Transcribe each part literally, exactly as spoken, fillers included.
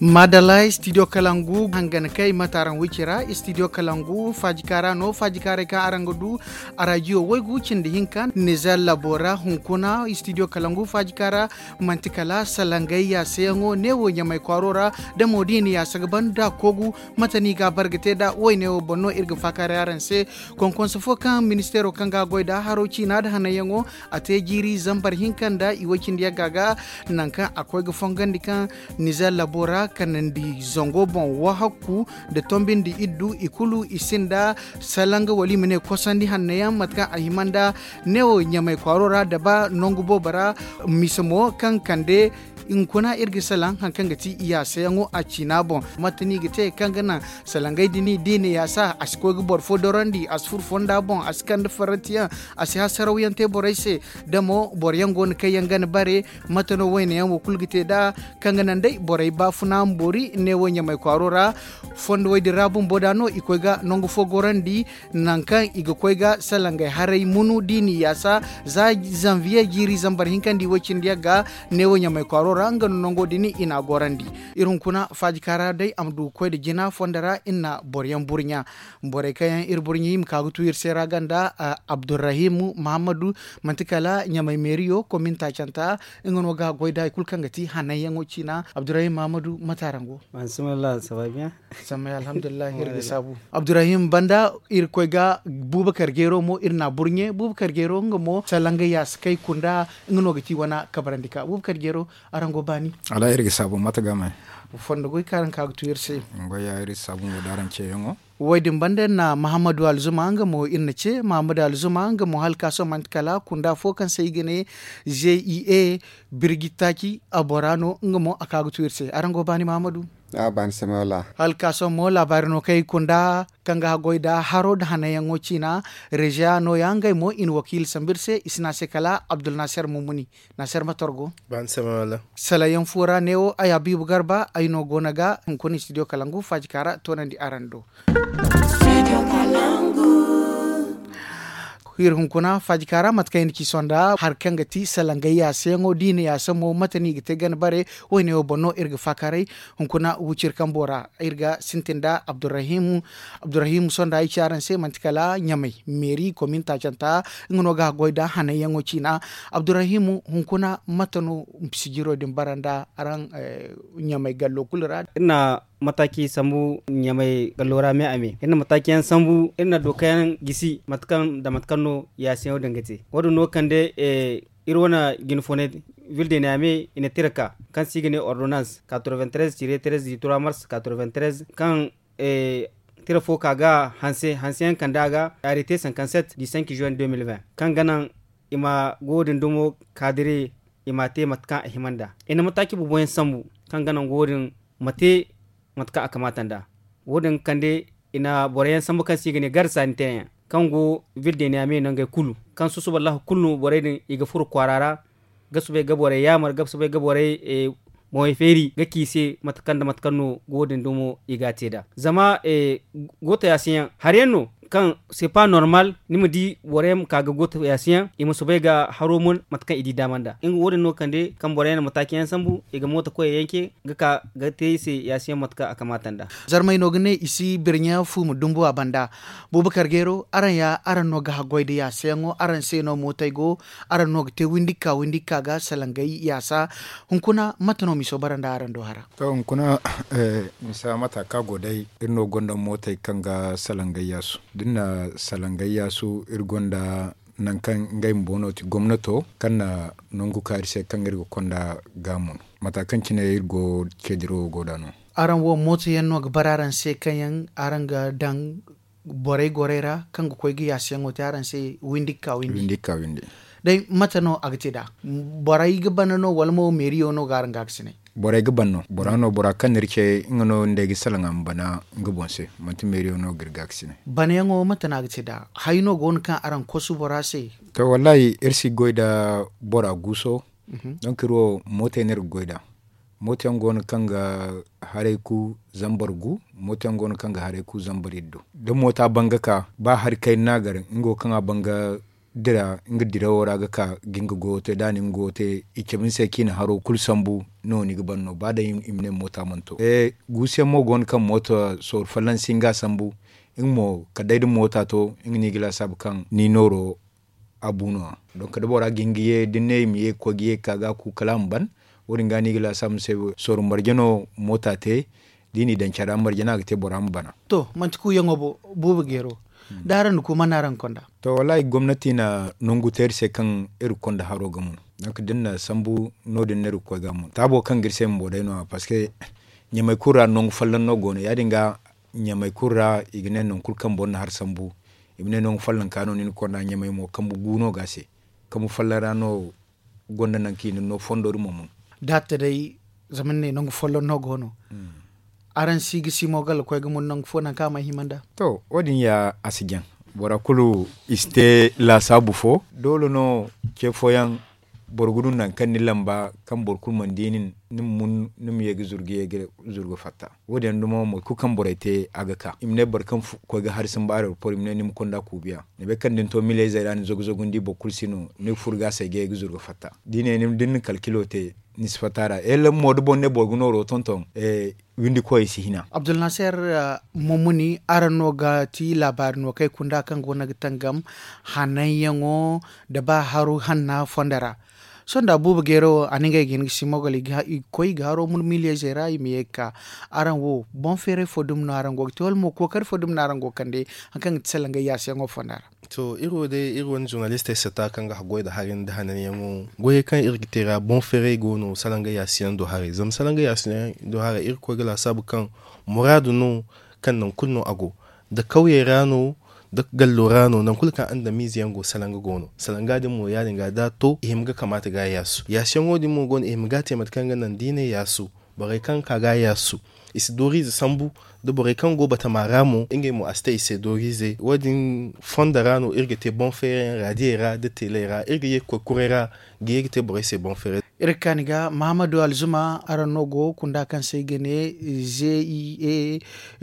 Maadalla studio kalangu hangan kay mate araŋ wicira studio kalangu faajikaara no faajikaaray kaŋ araŋ ga du a rajiyo waygu cindi hinka nizer labo ra hunkuna studio kalangu faajikaara. Manti kala salangay yaasayaŋo neewo ɲamay kwaaro ra da mo da i na yaasa ga ban da koogu. Mate no i ga a bare ga te nd'a wayne wo boŋ no iri ga faakaaray araŋ se. Konkonse fo kaŋ ministeero kaŋ ga a goy nd'a haro ciina nda hananyaŋo a te jiiri zambar hinka nda i way cindi yagga ga. Nangu kaŋ a koy ga fongandi kaŋ nizer labo ra kanandi zango boŋ wahakku nda tombi nda iddu i kulu i sinda salanga wala i ma ne kosandi hanno yaŋ mate kaŋ a hima nda neewo ɲamay kwaaro ra da ba nangu boobo ra. Mise mo kaŋ kande hunkuna iri ga salaŋ hari kaŋ ga ti i yaasayaŋo a ciina boŋ. Mate no i ga te kaŋ ga naŋ salangey din da i na yaasa a si koy ga boro fo dorandi a si furo fonda boŋ a si kande farantiyaŋ a si hasarawyaŋ te borey se. Da mo boro yaŋ go no kaŋ yaŋ ga na bare mate no wayne yaŋ wo kulu ga te nd'a kaŋ ga naŋ day borey baafuna ma boori neewo ɲamay kwaaro ra. Fondo way din ra bumbo da no i koy ga nangu fo gorandi nangu kaŋ i ga koy ga salangey haray munu da i na i yaasa za zanviye jiiri zambar hinka nda i way cindi yagga. Neewo ɲamay kwaaro ra nga no nango din i na a gorandi. Iri hunkuna faajikaara day a ma du ga koy nda jina fondo ra iri na boro yaŋ burɲa. Borey kaŋ yaŋ iri burɲa i ma ka ga tu iri se ra ganda abdurrahim muhammadu manti kala ɲamay meeriyo komin taacanta nga no ga a goy nd'a hari kulu kaŋ ga ti hananyaŋo ciina abdurrahim muhammadu mate araŋ go? Sammay alhamdulillahi iri ga saabu. Abdurrahim banda iri koy ga buubakar jeero mo iri na a burɲe buubakar jeero nga mo salangay yaasa kay kunda nga no ga ti wane kabarandi ka buubakar jeero. Araŋ go baani? Wala iri ga saabu mate ga may? Fondo goy kaŋ araŋ ka ga tu iri se. Goy ya iri saabu mo da araŋ ceeyaŋo. Wo- din banda iri na mahammadu alzuma nga mo iri na ce mahammadu alzuma nga mo hala ka sohõ manti kala kunda fo kaŋ se i ga ne zia birji taaci a bora no nga mo a ka ga tu iri se araŋ go baani mahammadu? Hala ka sohõ mo laabaari no kaŋ i kunda kaŋ ga haggoy nda haro nda hananyaŋo ciina. Reziya nooya ngey mo i na wakiila sambu iri se i si ne a se kala abdulnaasir mumuni. Naasir ma torgo. Salayaŋ fo ra neewo ay habiibu garba ay no go no ga hunkuna studio kalangu faajika ra toonandi araŋ do. Iri hunkuna faajika ra mate kaŋ i na ci sonda hari kaŋ ga ti salangay yaasayaŋo da i na yaasa mo mate no i ga te gana bare? Woyne wo boŋ no iri ga faakaaray hunkuna wiciri kambo ra. Iri ga sintin nda abdurrahimu. Abdurrahimu sonda ay ci araŋ se manti kala ɲamay meeri komin taacanta. Nga no ga a goy nda hananyaŋo ciina. Abdurrahimu hunkuna mate no sijiro din bara nda araŋ ɲamay gallo kulu ra? Iri na mataaci sambu ɲamay gallo ra me a me iri na mataaci yaŋ sambu iri na dooka yaŋ gisi mate kaŋ nda mate kaŋ no yaasiyaŋo din ga te. Wo- din no kande iri wane jinfoonay ville de niame i na tira ka kaŋ se i ga ne ordonnance quatre vingt treize tire treize du trois mars quatre vingt treize kaŋ tira fo ka ga hanse hanse yaŋ kande a ga arrêté cinquante sept du cinq juin deux mille vingt kaŋ ga naŋ i ma go din dumo kaadire i ma a te mate kaŋ a hima nd'a i na mataaci boobo yaŋ sambu kaŋ ga naŋ go din ma te mate kaŋ a kamaata nd'a. Wo- din ga kande i na boro yaŋ sambu kaŋ se i ga ne garde sanitaire yaŋ kaŋ go ville de niame nangey kulu kaŋ susuba lahar kulu no borey din i ga furo kwaara ra ga soobay ga borey yaamar ga soobay ga borey boŋey feeri ga ci i se mate kaŋ nda mate kaŋ no go- din dumo i ga a te nd'a zama gooto yaasiyaŋ hari yaŋ no kaŋ c'est pas normal ni ma di boro yaŋ ma ka ga gooto yaasiyaŋ i ma soobay ga haro mun mate kaŋ i di daama nd'a nga wo- din no kande kaŋ boro yaŋ na mataaci yaŋ sambu i ga mooto koyey yanke ga ka ga te i se yaasiyaŋ mate kaŋ a kamaata nd'a. Zarmey no ga ne i si birɲa fu ma dumbu a banda. Buubakar geero araŋ ya araŋ no ga haggoy nda yaasayaŋo araŋ se no mootey go araŋ no ga te windi ga ka windi ga ka ga salangay yaasa. Hunkuna mate no miso bara nda araŋ do hara? To hunkuna misa mata kaŋ a go day iri no gonda mootey kaŋ ga salangay yaasu da iri na salangay yaasu iri gonda nangu kaŋ ngey bumbo no ti gomnato kaŋ na nangu kaari se kaŋ iri ga konda gaamu no mata kaŋ cine iri go ceediro wo go nd'a no. Araŋ wo mooto yaŋ no ga bara araŋ se kaŋ yaŋ araŋ ga daŋ borey gorey ra kaŋ ga koy ga yaasiyaŋo te araŋ se windi ga ka windi? Day mate no a ga te nd'a? Borey ga bana no wala mo meeriyo no ga araŋ gaakasinay? Borey ga ban no bora no bora kaŋ no iri ce nga no nda ay ga salaŋ a ma bana nga boŋ se. Manti meeriyo no ga iri gaakasinay. Banayaŋo mate no a ga te nd'a? Hay no go no kaŋ araŋ kosu bora se? To wallaahi iri si goy nda bora guuso. Donk iri wo mootey no iri ga goy nd'a. Mooto yaŋ go no kaŋ ga haray ku zambar gu. Mooto yaŋ go no kaŋ ga haray ku zambar iddu da mooto a ban ga ka ba hari kayna no a gar nga wo kaŋ a ban ga dira nga dirawo ra ga ka ga nga goyo te da a na nga goyo te i cabe ni se kaŋ i na haro kulu sambu. No ni ga ban no ba day i ma ne moota mana to guusuyaŋ mo go no kaŋ moota sooru folloŋ si nga sambu. Nga mo kala day da moota to nga no i ga laasaabu kaŋ ni nooro a bu no- ya. Donk da bora ga hin ga ye da ni ne i ma ye ga koy ga ye ga ka ga a ku kala a ma ban. Wo- din ga no i ga laasaabu ni se sooru marje no moota te da i n'i daŋ care ra marje no a ga te bora ma bana. To manti kuuyaŋo bo buuba geero da araŋ na ku man no araŋ ga konda? To wallaahi gomnati na nangu te iri se kaŋ iri ga konda haro ga mun. Donk da iri na sambu no- din no iri ga koy ga a mun taabo kaŋ ga iri se bumbo day no- ya parceque ɲamey kulu ra nangu folloŋ no go no ya- din ga ɲamey kulu ra i ga ne nangu kulu kaŋ boro na hari sambu i ma ne nangu follonka no ni na konda ɲamey mo kambe gu no ga a se. Kambe folloŋ ra no gonda nangu kaŋ i na no fondo din ma mun. Da a ta day zama ni ne nangu folloŋ no go no araŋ si ga simo ga lakoy ga mun nangu fo nangu kaŋ a mana hima nd'a? To wo- din ya a si jaŋ bora kulu i si te laasaabu fo doole no ce fooyaŋ boro ga du nangu kaŋ ni lamba kaŋ boro kulu mana di nin ni ma mun ni ma ye ga zuru ga fatta. Wo- din yaŋ dumo mate kulu kaŋ borey te a ga ka i ma ne boro kaŋ koy ga hari sambu aeroport i ma ne ni ma konda kuubiya ni bay kaŋ da ni to miliyezey ra ni zagu zagu ni di boro kulu si no ni ga furo ga a se ga ye ga zuru ga fatta da i ne ni ma da ni na kalkilo te ni si fatta a ra. Ella mo da boro ne boro ga nooro tonton windi koyey si hina. Abdulnaser, mumuni araŋ no ga ti laabaari no kaŋ ay kunda kaŋ go no ga tangam hananyaŋo nda ba haru hanna fondo ra. Sohõ nda buuba geero wo a na ngey ga hin ga simogal i ga koy i ga haro mun miliyezey ra i ma ye ga ka. Araŋ wo boŋ feeray fo dumi no araŋ go ga te wala mo kookari fo dumi no araŋ go ga kande? Hari kaŋ ga ti salangay yaasiyaŋo fonda ra. To iri wo day iri wane zurnalistey satta kaŋ ga goy nda hari nda hananyaŋo goyey kaŋ iri ga te ra boŋ feeray go no salangay yaasiyaŋ do haray zama salangay yaasiyaŋ do haray iri ga koy ga laasaabu kaŋ muraadu no kaŋ nangu kulu no a go nda kawyey ra no nda gallo ra no nangu kulu kaŋ andamiize yaŋ go salanga go no salanga din mo ya- din ga da a to i hima ga kamaata ga a yaasu yaasiyaŋo din mo go no i hima ga a te mate kaŋ ga naŋ da i ne yaasu borey kaŋ ga ka ga a yaasu i si dooriize sambu nda borey kaŋ go batama ra mo ngey mo a si te i se dooriize wo- din fondo ra no iri ga te boŋ feerayyaŋ raadiyey ra nda teeley ra iri ga ye ga koy kuray ra ga ye ga te borey se boŋ feeray. Iri ga kaani ga mahamadu alzuma araŋ no go kunda kaŋ se ay ga ne ze i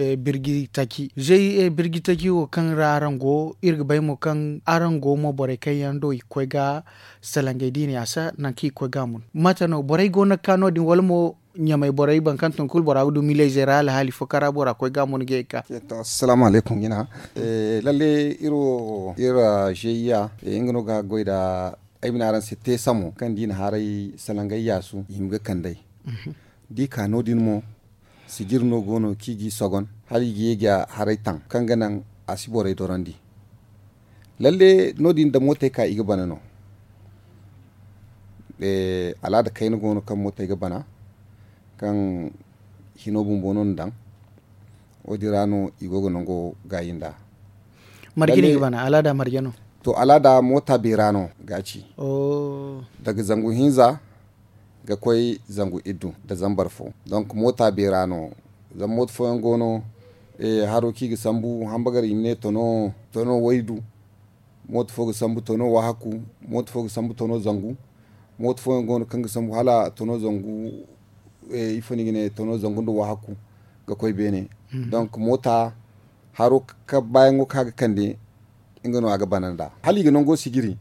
a birji taci ze i a birji taci wo kaŋ ra araŋ go iri ga bay mo kaŋ araŋ go mo borey kaŋ yaŋ do i ga koy ga salangey da i na yaasa nangu kaŋ i ga koy ga a mun mate no borey go no ga ka no- din wala mo ɲamey borey boro kaŋ tun kulu bora ga du miliyezey ra alhaali fo kaŋ ra bora koy ga a mun ga ye ga ka? Assalaamu alaykum jina. Lalle iri wo iri ra zeyiya nga no ga goy nda ay ma ne araŋ se teesamo kaŋ da i na haray salangay yaasu i hima ga kand'ey da i ka no- din mo sijir no go no kaŋ i g'i sogon hala i ga ye ga haray taŋ kaŋ ga naŋ a si borey dorandi. Lalle no- din da mootey ka i ga bana no. Alaada kayna go no kaŋ mootey ga bana kaŋ hino bumbo no ni daŋ wo- din ra no i go ga nango gaayi nd'a. Marje no i ga bana alaada marje no? To alaada moota beera no ga ci daga zangu hinza ga koy zangu iddu nda zambar fo. Donk moota beera no zama mooto fooyaŋ go no haro kaŋ i ga sambu hambagar i ma ne tono waydu. Mooto fo ga sambu tono wahakku. Mooto fo ga sambu tono zangu. Mooto fooyaŋ go no kaŋ ga sambu hala tono zangu ifo no i ga ne tono zangu nda wahakku ga koy beene. Donk moota haro baayaŋo kaŋ a ga kande nga no a ga bana nd'a hala i ga nango sijiri.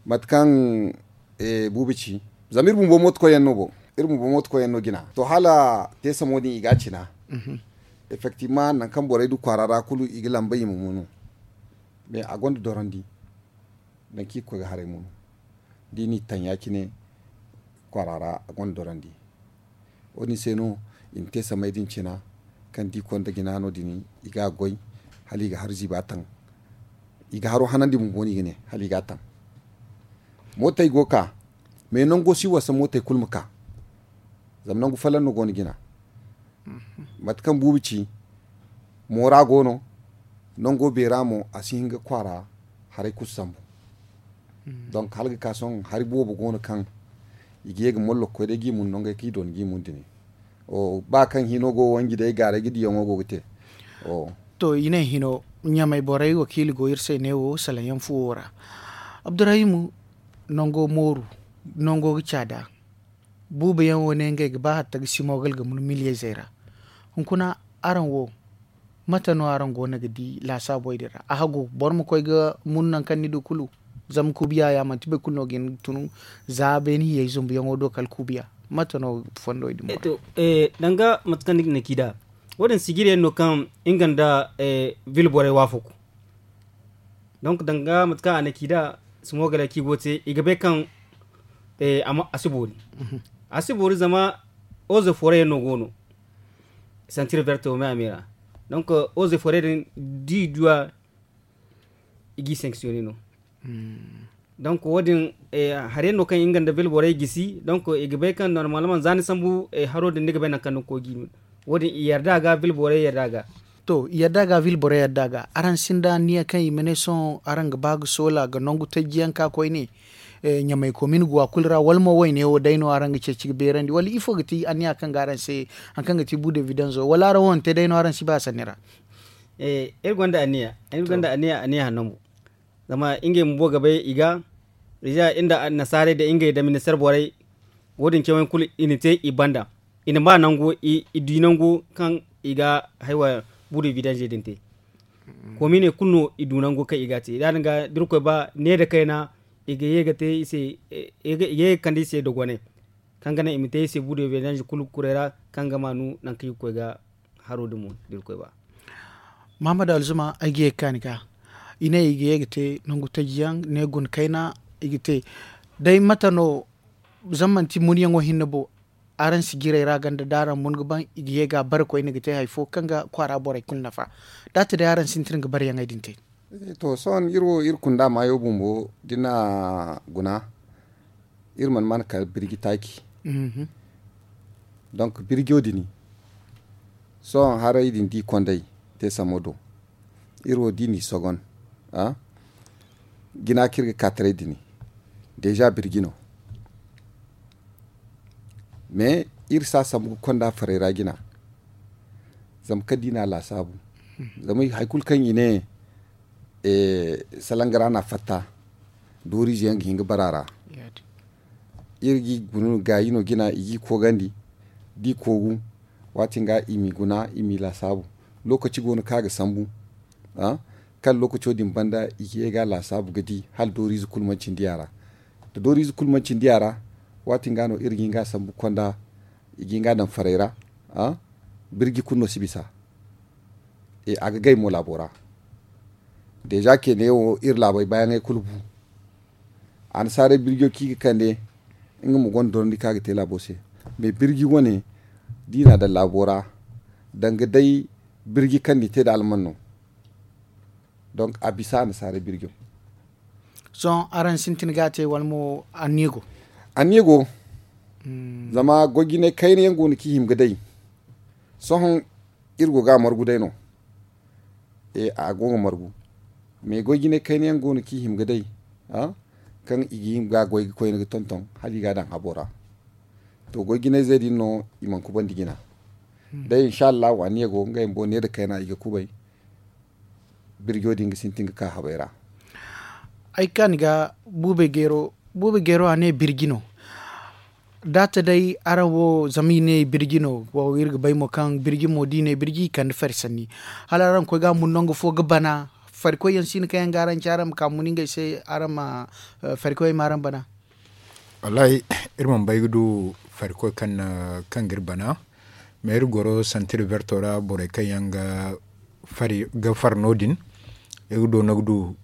Mate kaŋ buubi ci zama iri bumbo mooto koyyaŋ no bo iri bumbo mooto koyyaŋ no jina to hala teesamo din i ga a cina. Effektivement nangu kaŋ borey du kwaara ra kulu i ga lamba i ma munu. Mais a gonda dorandi nangu kaŋ i ga koy ga haray munu da i n'i taŋ ya- cine kwaara ra a gonda dorandi. Wo- din se no i na te samay din cina kaŋ da i konda jina no- din i ga a goy hala i ga haru ziiba taŋ. I ga haro hanandi bumbo no i ga ne hala i ga a taŋ. Mootey go ga ka mais nango si wasa mootey kulu ma ka. Zama nangu folloŋ no go no jina mate kaŋ buubi ci moora go no. Nango beera mo a si hin ga kwaara haray kulu sambu. Donk hala ga ka sohõ hari boobo go no kaŋ i ga ye ga mollo ga koy day ga i mun nangey kaŋ i doona ga i mun dini. Ba kaŋ hino go wanji day gaaray ga diyaŋo go ga te. To i ne hino ɲamey borey wakiili go iri se neewo salaŋ yaŋ fuwo ra. Abdurahimu, nango mooru nango ga caada. Buuba yaŋ wo ne ngey ga ba hatta ga simogal ga mun miliyezey ra. Hunkuna araŋ wo mate no araŋ go no ga di laasaabey din ra a hagu boro ma koy ga mun nangu kaŋ ni du kulu? Zama kuubiya ya manti boro kulu no ga hin ga tun za beene hiyey zumbuyaŋo do kala kuubiya. Mate no fondo din? Danga mate kaŋ ni ga ne kaŋ i da wo- din sijiri yaŋ no kaŋ nga nda vil borey waafaku. Donk danga mate kaŋ a ne kaŋ i da simogaley kaŋ i go ga te i ga bay kaŋ a si boori. A si boori zama oze foore yaŋ no go no. Santir verte wo me a me ra. Donk oze foore din da i du a i g'i sanksiyone no. Donk wo- din hari yaŋ no kaŋ nga nda vil borey gisi donk i ga bay kaŋ normalman za ni sambu haro din ni ga bay nangu kaŋ ni ga koy ga i no. Wo- din i yarda a ga vil borey yarda a ga. To i yarda a ga vil borey yarda a ga araŋ sinda anniya kaŋ i ma ne sohõ araŋ ga ba ga soola ga nangu tajji yaŋ ka koyne? Ɲamay komin guwa kulu ra wala mo wayne wo day no araŋ ga ceeci ga beerandi wala ifo ga ti anniya kaŋ ga araŋ se? Hari kaŋ ga ti bu devidanzo wala araŋ wo hante day no araŋ si ba a sanni ra? Iri gonda anniya iri gonda anniya anniya hanno mo. Zama ngey bumbo ga bay i ga iri nda annasaarey nda ngey nda ministeer borey. Wo- din cawyaŋ kulu i na te i banda i na ma nangu i du nangu kaŋ i ga haywa bu devidanze din te. Kominey kulu no i du nangu kaŋ i ga a te ya- din ga da irkoy ba ne nda kayna i ga ye ga te i se i ga ye ga kande i se dogonay. Kaŋ ga naŋ i ma te i se bu devidanze kulu kuray ra kaŋ ga maanu nangu kaŋ i ga koy ga haro din mo da irkoy ba. Mahamad alzuma ay ga ye ga ka ni ga i ne i ga ye ga te nangu taji yaŋ ne guna kayna i ga te. Day mate no zama manti munyaŋo hinne bo araŋ si jirey ra ganda da araŋ mun ga ban i ga ye ga a bare koyne ga te hari fo kaŋ ga kwaara borey kulu nafa. Da a te day araŋ sintin ga bareyaŋey din te. To sohõ iri wo iri kunda maayo bumbo da ni na guna iri mana mana kala birji taaci. Donk birjo din sohõ haray din da i kondey te samo do iri wo da i n'i sogon jina kaŋ iri ga ka taray din deeza birji no. Mais iri si a sambu ga konda farey ra jina. Zama kala da i na a laasaabu zama hari kulu kaŋ i ne salanga ra no a fatta dooriize yaŋ ga hin ga bara a ra. Iri ga i guna gaayi no jina i ga i koogandi da i koogu waati ga i m'i guna i m'i laasaabu. Lookaci go no kaŋ a ga sambu kala lookaco din banda i ga ye ga a laasaabu ga di hala dooriize kulu mana cindi a ra. Da dooriize kulu mana cindi a ra waati ga no iri ga hin ga a sambu konda i ga hin ga a daŋ farey ra. Birji kulu no si bisa a ga gay mo laabo ra. Deeza keeney wo iri laabey baayaŋey kulu bu. Annasaarey birjo kaŋ i ga kande nga mo gonda dorandi kaŋ a ga te laabo se. Mais birji wane da i na a daŋ laabo ra danga day birji kaŋ n'i te nda alman no. Donk a bisa annasaarey birjo. Sohõ araŋ sintin ga a te wala mo anniya go? Anniya go. Zama goy jinay kayna yaŋ go no kaŋ i hima ga day. Sohõ iri go ga a margu day no. A go ga margu. Mais goy jinay kayna yaŋ go no kaŋ i hima ga day kaŋ i ga hima ga a goy ga koyne ga tonton hala i ga a daŋ habo ra. To goy jinayzey din no i mana kubandi jina. Day insa allahu anniya go ngey bumbo ne nda kayna i ga kubay. Birjo din ga sintin ga ka habey ra. Ay kaani ga buubey geero a ne birji no. Da a ta day araŋ wo zama i ne birji no. Iri ga bay mo kaŋ birji mo da i ne birji i kande fari sanni. Hala araŋ koy ga a mun nangu fo ga bana. Farikoy yaŋ si no kaŋ yaŋ ga araŋ ci araŋ ma ka mun ngey se araŋ ma farikoyey ma araŋ bana. Wallaahi, iri mana bay ga du farikoy kaŋ ga iri bana. Mais iri goro santir verto ra borey kaŋ yaŋ ga fari no- din. Iri ga doona ga du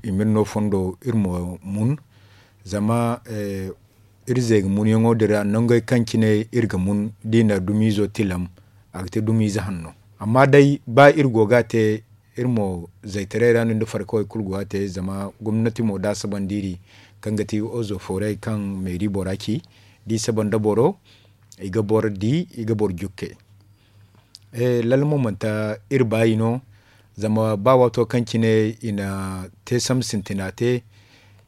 i ma iri no fondo iri ma mun. Zama iri zeega munyaŋo din ra nangey kaŋ cine iri ga mun da i na dumiizo tilam, a ga te dumiize hanno. Amma day ba iri go ga a te iri mo zaytaray ra no nda farkawey kulu go ga a te zama gomnati mo da a sabandi iri kaŋ ga ti ozo foorey kaŋ meeri bora ci da i saba nda boro, i ga boro di, i ga boro jukke. Lalla mo manti iri baayi no. Zama ba waato kaŋ cine i na te sambu sintina te,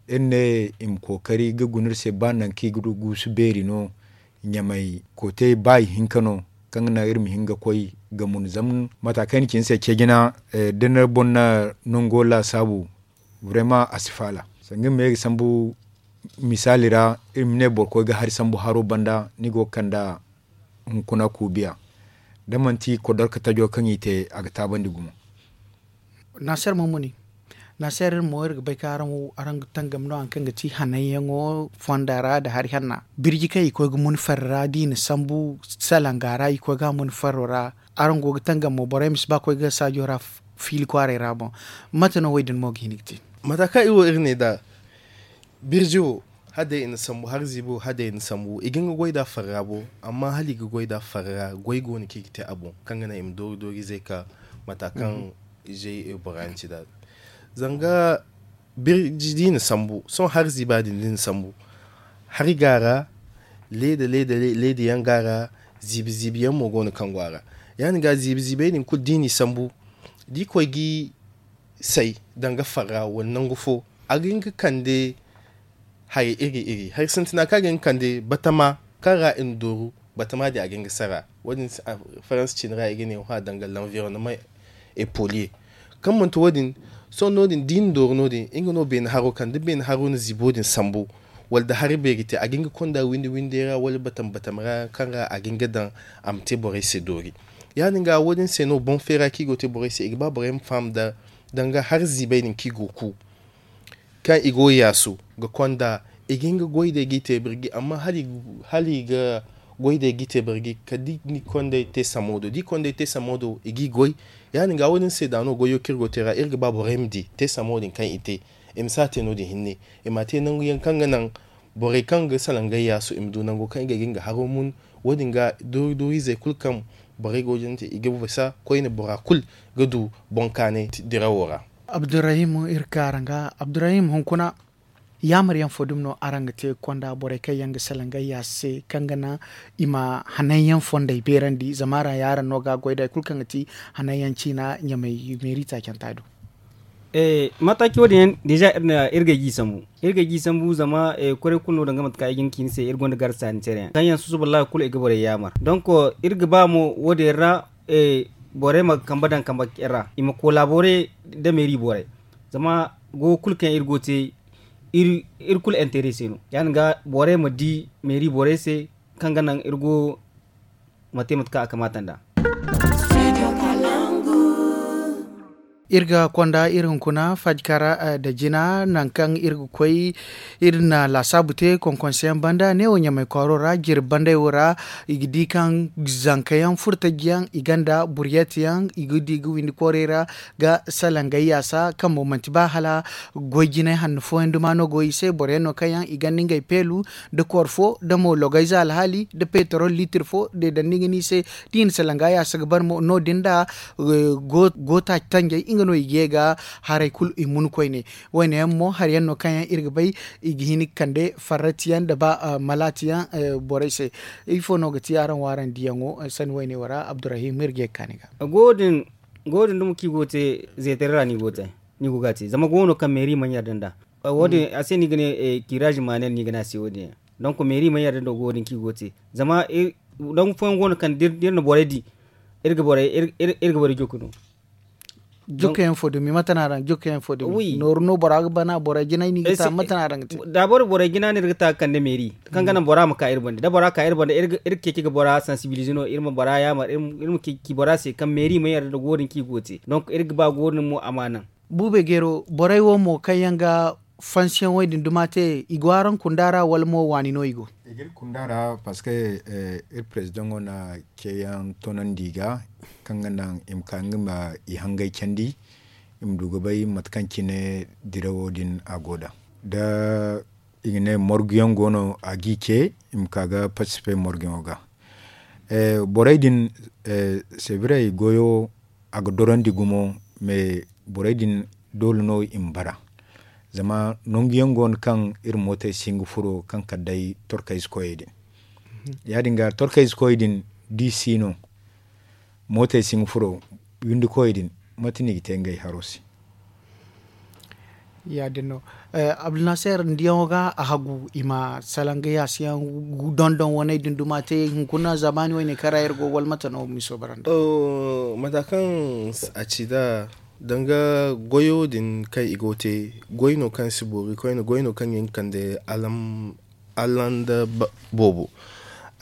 iri ne i ma kookari ga guna iri se ba nangu kaŋ i ga du guusu beeri no. Ɲamay kootey ba ihinka no kaŋ ga naŋ iri ma hin ga koy ga mun zama mata kaŋ ay na ci ni se ce jina. Da ni boŋ na nango laasaabu, vraiment a si faala. Sanga iri ma ye ga sambu misaali ra, iri ma ne boro koy ga hari sambu haro banda ni go ga kand'a hunkuna kuubiya. Da manti kodorka tajo kaŋ i te a ga taabandi gumo. Naasir mammuni, Naseer iri mo iri ga bay kaŋ araŋ wo araŋ ga tangam no hari kaŋ ga ti hananyaŋo fonda ra nda hari hanna birji kaŋ i koy ga mun farra da i na sambu salanga ra i koy ga a mun farro ra. Araŋ go ga tangam mo borey ma si ba koy ga saajo ra fiili kwaaray ra boŋ. Mate no wo- din mo ga hin ga te? Mata kaŋ iri wo iri ne nd'a birji wo hala day i na sambu hari ziibi wo hala day i na sambu i ga hin ga goy nd'a farra bo. Amma hala i ga goy nd'a farra goy go no kaŋ i ga te a boŋ kaŋ ga naŋ i ma doori doori izey ka mata kaŋ izey bora yaŋ ci nd'a. Zanga birji da i na sambu sohõ hari ziiba din da i na sambu hari ga a ra leeda leeda yaŋ ga a ra. Ziibi ziibi yaŋ mo go no kaŋ go a ra. Ya- din ga ziibi ziibey din kulu da i n'i sambu da i koy ga i say danga farra wala nangu fo a ga hin ga kande hari iri iri hari sintina kaŋ a ga hin ga kande batama kaŋ ra i na dooru batama din a ga hin ga sara. Wo- din faransa cine ra i ga ne wo- hã danga lanvironnement epolier kaŋ manti wo- din. Sohõ no- din da i na dooru no- din nga no beene haro kande beene haro na ziibo din sambu wala nda hari beeri te a ga hin ga konda windi windey ra wala batam batam ra kaŋ ra a ga hin ga daŋ a ma te borey se doori. Ya- din ga wo- din se no boŋ feera kaŋ i go ga te borey se i ga ba borey ma faham nda danga hari ziibey din kaŋ i go ga ku kaŋ i go ga yaasu ga konda i ga hin ga goy day ga i te birji amma hala i ga goy day ga i te birji kala da i konday te samo do da i konday te samo do i ga i goy. Ya- din ga wo- din se da no goyo kaŋ iri go ga te ra iri ga ba borey ma di te samo din kaŋ i te i ma si a te no- din hinne i m'a te nangu yaŋ kaŋ ga naŋ borey kaŋ ga salangay yaasu i ma du nango kaŋ i ga hin ga haro mun. Wo- din ga doori doori izey kulu kaŋ borey go ga jante i ga bisa koyne bora kulu ga du boŋ kaanay dirawo ra. Abdurrahim iri ga ka araŋ ga abdurrahim hunkuna yaamar yaŋ fo dumi no araŋ ga te konda borey kaŋ yaŋ ga salangay yaasu se kaŋ ga naŋ i ma hananyaŋ fondey beerandi zama araŋ yaaraŋ no ga a goy da hari kulu kaŋ ga ti hananyaŋ ciina ɲamay meeri taacanta do? Mataki wo- din yaŋ deeza iri ga ay ga i sambu iri ga ay ga i sambu zama kwaray kulu no danga mate kaŋ ay ga hin ga ci ni se iri gonda garsa ni care yaŋ kaŋ yaŋ susuba laawa kulu i ga borey yaamar donk iri ga ba mo wo- din yaŋ ra borey ma kambe daŋ kambe ra i ma kolabore nda meeri borey zama goyo kulu kaŋ iri go ga te iri kulu intere se no ya- din ga borey ma di meeri borey se kaŋ ga naŋ iri go ma te mate kaŋ a kamaata nd'a. Iri ga konda iri hunkuna fajkara nda jina nangu kaŋ iri ga koy iri na laasaabu te konkonse yaŋ banda neewo ɲamay kwaaro ra jirbi banday wo ra i ga di kaŋ zanka yaŋ furtaji yaŋ i gonda buriyet yaŋ i ga di ga windi koorey ra ga salangay yaasa kaŋ mo manti ba hala goy jinay hanno fooyaŋ duma no go i se boro yaŋ no kaŋ yaŋ i gonda ngey peelu nda kooro fo nda mo logayze alhaali nda petrol liitir fo deedandi ga ne i se da i na salanga yaasa ga bare mo no- din nda go taaci tanjay nga no i ga ye ga haray kulu i mun koyne. Wo- ne yaŋ mo hari yaŋ no kaŋ yaŋ iri ga bay i ga hin ga kande farrati yaŋ nda ba malaati yaŋ borey se. Ifo no ga ti araŋ wo araŋ diyaŋo sanni wo- ne wo ra abdurrahim iri ga ye ga ka ni ga. Go- din dumo kaŋ i go ga te zeetari ra no i go ga te ni go ga a te zama go no kaŋ meeri mana yarda nd'a. Wo- din a se no i ga ne kiraazi maanel no i ga ne a se wo- din yaŋ donk meeri mana yarda nda go- din kaŋ i go ga te zama nangu fooyaŋ go no kaŋ da iri na borey di iri ga borey jokku no. Jokku yaŋ fo dumi mate no araŋ jokku yaŋ fo dumi nooru no bora ga bana borey jinay no i ga ta mate no araŋ ga te? Daabor borey jina no iri ga ta ga kande meeri kaŋ ga naŋ bora ma ka iri banda da bora ka iri banda iri ga ceeci ga bora sansibilize no iri ma bora yaamar iri ma ci bora se kaŋ meeri mana yarda nda go- din kaŋ i go ga te donk iri ga ba go- din mo a ma naŋ. Buubey geero borey wo mo kaŋ yaŋ ga fansiyaŋ wo- din duma te i go araŋ kunda ra wala mo waani no i go? I ga iri kunda ra parceque iri perezidaŋo na ceeyaŋ toonandi i ga kaŋ ga naŋ i ma ka nga ma i hangay candi i ma du ga bay mate kaŋ cine dirawo din a go nd'a da i ga ne morguyaŋ go no a g'i ce i ma ka ga participe morguyaŋo ga. Borey din sebiray goyo a ga dorandi gumo mais borey din doole no i ma bara zama nangu yaŋ go no kaŋ iri mootey si hin ga furo kaŋ kala day torkayze koyey din ya- din ga torkayze koyey din da i si no mootey si hin ga furo windi koyey din mate no i ga te ngey haro se? Ya- din no abdulnaseer ni diyaŋo ga a hagu i ma salanga yaasiyaŋ dondon waney din duma te hunkuna zaamaani wo- ne kaŋ ra iri go wala mate no miso bara nda? Mata kaŋ a ci nd'a danga goyo din kaŋ i go ga te goy no kaŋ si boori koyne goy no kaŋ ga hin ga kande alanda boobo.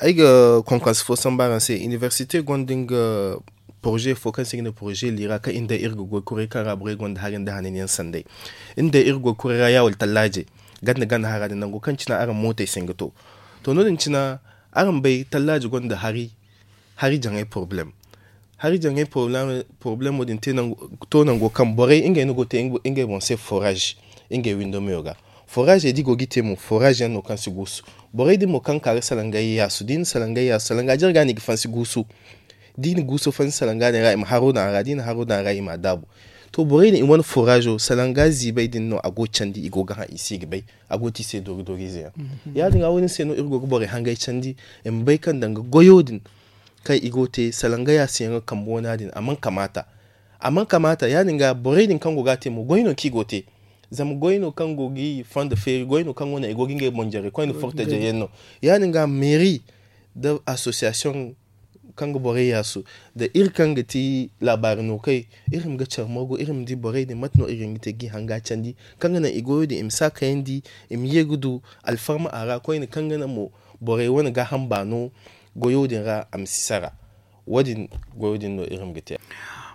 Ay ga konkonse fo sambu araŋ se inibersite gonda nga poroze fo kaŋ se i ga ne poroze liira kaŋ iri day iri ga goy kuray kaŋ ra borey gonda hari nda hananyaŋ sanday. Iri day iri goy kuray ra ya wala tallaaje ganda ganda hara din nango kaŋ cina araŋ mootey se nga to. To no- din cina araŋ bay tallaaje gonda hari hari jaŋay poroblem. Hari jaŋay poroblemo din to nango kaŋ borey ngey no go te ngey boŋ se forage ngey windo meyo ga. Forage di go ga i te mo forage yaŋ no kaŋ si guusu. Borey din mo kaŋ ka ga salangay yaasu da i na salangay yaasu salanga jarga no i ga fansi guusu. Da i na guuso fansi salanga din ra i ma haro daŋ a ra da i na haro daŋ a ra i ma a daabu. To borey din i wane forazo salanga ziibay din no a go ga candi i go ga haŋ i se i ga bay. A go ga te i se doori doori ize yaŋ. Ya- din ga wo- din se no iri go ga borey hangay candi i ma bay kaŋ danga goyo din kaŋ i go ga te salanga yaasiyaŋo kambe wana din a mana kamaata. A mana kamaata ya- din ga borey din kaŋ go ga a te mo goy no kaŋ i go ga te. Zama goy no kaŋ go ga i fondo feeri goy no kaŋ go no i go ga ngey boŋ jare koyne fortajey yaŋ no. Ya- din ga meeri nda asosiyasiyoŋ kaŋ ga borey yaasu nda iri kaŋ ga ti laabaari no kay iri ma ga care morgu iri ma di borey din mate no iri ga hin ga te ga i hanga candi kaŋ ga naŋ i goyo din i ma si a kayandi i ma ye ga du alfarma a ra koyne kaŋ ga naŋ mo borey wane gaaham baano goyo din ra a ma si sara. Wo- din goyo din no iri ma ga te.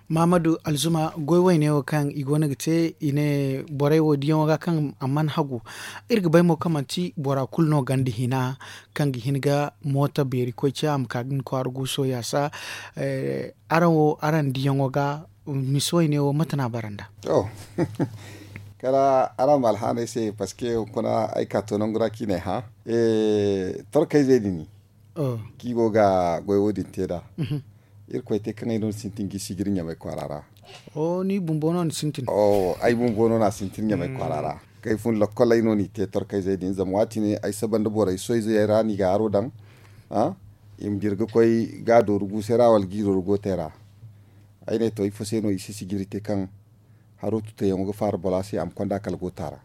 Maamadu alzuma goy wayne wo kaŋ i go no ga te i ne borey wo diyaŋo ga kaŋ a mana hagu. Iri ga bay mo kaŋ manti bora kulu no ganda hina kaŋ ga hin ga mooto beeri koy ce a ma ka ga ni kwaara guuso yaasa. Araŋ wo araŋ diyaŋo ga misi wayne wo mate no a bara nda? To kala araŋ ma alhaanay se parceque hunkuna ay ka to nangu ra kaŋ i n'ay hã. Torkayzey din kaŋ i go ga goy wo- din te nd'a. Irkoy te kaŋ ay no ni sintin ga i sijiri ɲamay kwaara ra. Ni bumbo no ni sintin? Ay bumbo no no a sintin ɲamay kwaara ra. Kaŋ ay fun lokol ay no n'i te torkayzey din zama waati ne ay saba nda borey soyzey ra no i ga haro daŋ. I ma dira ga koy ga a dooru guusey ra wala ga i dooru gootey ra. Ay ne to ifo se no i si sijiri te kaŋ haro tutayyaŋo ga faara bora se a ma konda kala goota ra.